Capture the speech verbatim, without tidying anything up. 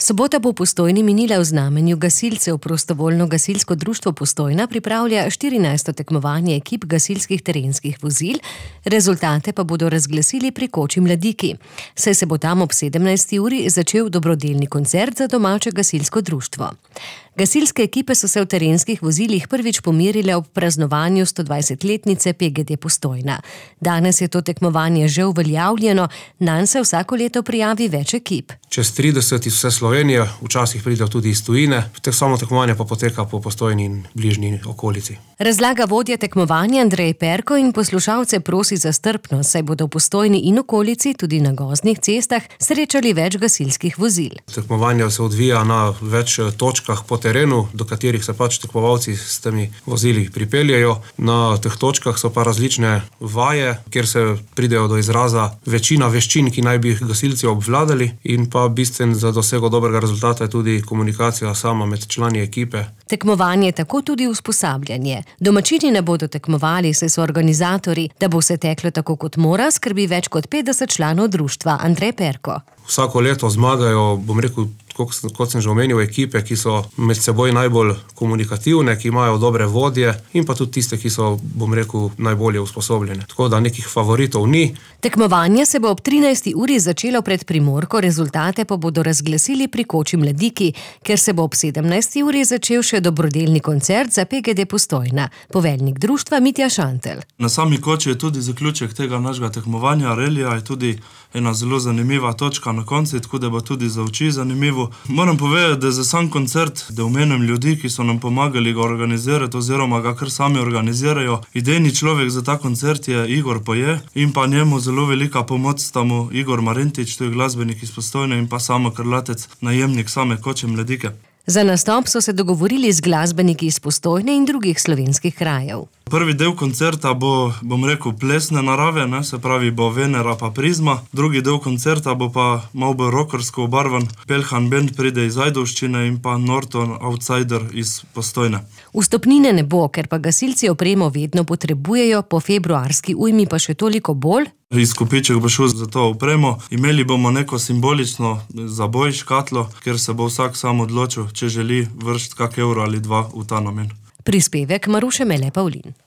Sobota bo v Postojni minila v znamenju gasilcev. Prostovoljno gasilsko društvo Postojna pripravlja štirinajsto tekmovanje ekip gasilskih terenskih vozil, rezultate pa bodo razglasili pri Koči Mladiki. Saj se bo tam ob sedemnajsti uri začel dobrodelni koncert za domače gasilsko društvo. Gasilske ekipe so se v terenskih vozilih prvič pomerile ob praznovanju stodvajsetletnice P G D Postojna. Danes je to tekmovanje že uveljavljeno, nanj se vsako leto prijavi več ekip. Čez trideset iz vse Slovenije, včasih pridejo tudi iz tujine, samo tekmovanje pa poteka po Postojni in bližnji okolici. Razlaga vodja tekmovanja Andrej Perko in poslušalce prosi za strpnost, saj bodo v Postojni in okolici, tudi na gozdnih cestah, srečali več gasilskih vozil. Tekmovanje se odvija na več točkah po terenu, do katerih se pač tekmovalci s temi vozili pripeljejo. Na teh točkah so pa različne vaje, kjer se pridejo do izraza večina veščin, ki naj bi jih gasilci obvladali, in pa bistven za dosego dobrega rezultata je tudi komunikacija sama med člani ekipe. Tekmovanje je tako tudi usposabljanje. Domačini ne bodo tekmovali, saj so organizatorji, da bo se teklo tako kot mora, skrbi več kot petdeset članov društva. Andrej Perko. Vsako leto zmagajo, bom rekel, kot sem že omenil, ekipe, ki so med seboj najbolj komunikativne, ki imajo dobre vodje in pa tudi tiste, ki so, bom rekel, najbolje usposobljene. Tako da nekih favoritov ni. Tekmovanje se bo ob trinajsti uri začelo pred Primorko, rezultate pa bodo razglasili pri Koči Mladiki, ker se bo ob sedemnajsti uri začel še dobrodelni koncert za P G D Postojna. Poveljnik društva Mitja Šantel. Na sami Koči je tudi zaključek tega našega tekmovanja. Relija je tudi ena zelo zanimiva točka na koncu, tako da bo tudi za oči zanimivo. Moram povedati, da za sam koncert, da omenim ljudi, ki so nam pomagali ga organizirati oziroma ga kar sami organizirajo. Idejni človek za ta koncert je Igor Poje in pa njemu zelo velika pomoč sta mu Igor Marentič, to je glasbenik iz Postojne, in pa Samo Krlatec, najemnik same Koče Mladike. Za nastop so se dogovorili z glasbeniki iz Postojne in drugih slovenskih krajev. Prvi del koncerta bo, bom rekel, plesne narave, ne, se pravi bo Venera pa Prizma. Drugi del koncerta bo pa malo bolj rockersko obarvan. Pelhan Band pride iz Ajdovščine in pa Norton Outsider iz Postojne. Vstopnine ne bo, ker pa gasilci opremo vedno potrebujejo, po februarski ujmi pa še toliko bolj. Izkupiček bo šel za to opremo. Imeli bomo neko simbolično zaboj, škatlo, kjer se bo vsak sam odločil, če želi vršiti kak evro ali dva v ta namen. Prispevek Maruše Mele Pavlin.